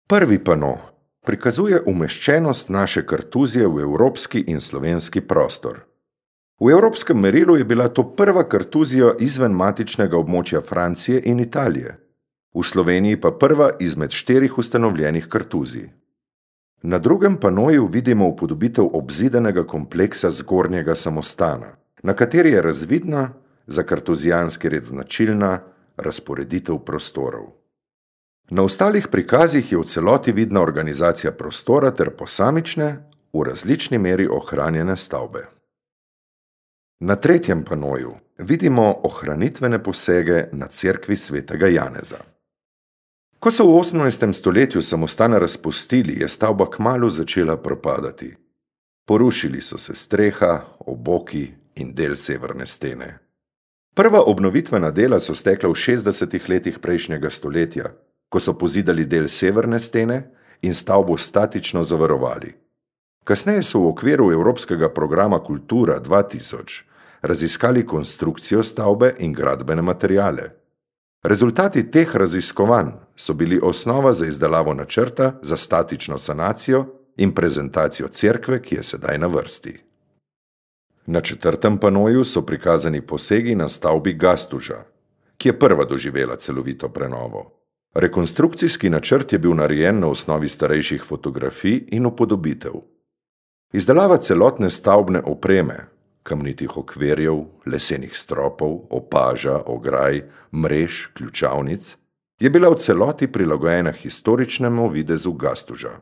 Prvi pano prikazuje umeščenost naše kartuzije v evropski in slovenski prostor. V evropskem merilu je bila to prva kartuzija izven matičnega območja Francije in Italije, v Sloveniji pa prva izmed 4 ustanovljenih kartuzij. Na drugem panoju vidimo upodobitev obzidanega kompleksa zgornjega samostana, na kateri je razvidna, za kartuzijanski red značilna, razporeditev prostorov. Na ostalih prikazih je v celoti vidna organizacija prostora ter posamične, v različni meri ohranjene stavbe. Na tretjem panoju vidimo ohranitvene posege na cerkvi svetega Janeza. Ko so v 18. stoletju samostan razpustili, je stavba kmalu začela propadati. Porušili so se streha, oboki in del severne stene. Prva obnovitvena dela so stekla v 60. letih prejšnjega stoletja, ko so pozidali del severne stene in stavbo statično zavarovali. Kasneje so v okviru Evropskega programa Kultura 2000 raziskali konstrukcijo stavbe in gradbene materiale. Rezultati teh raziskovanj so bili osnova za izdelavo načrta za statično sanacijo in prezentacijo cerkve, ki je sedaj na vrsti. Na četrtem panoju so prikazani posegi na stavbi Gastuža, ki je prva doživela celovito prenovo. Rekonstrukcijski načrt je bil narejen na osnovi starejših fotografij in upodobitev. Izdelava celotne stavbne opreme, kamnitih okvirjev, lesenih stropov, opaža, ograj, mrež, ključavnic, je bila v celoti prilagojena historičnemu videzu Gastuža.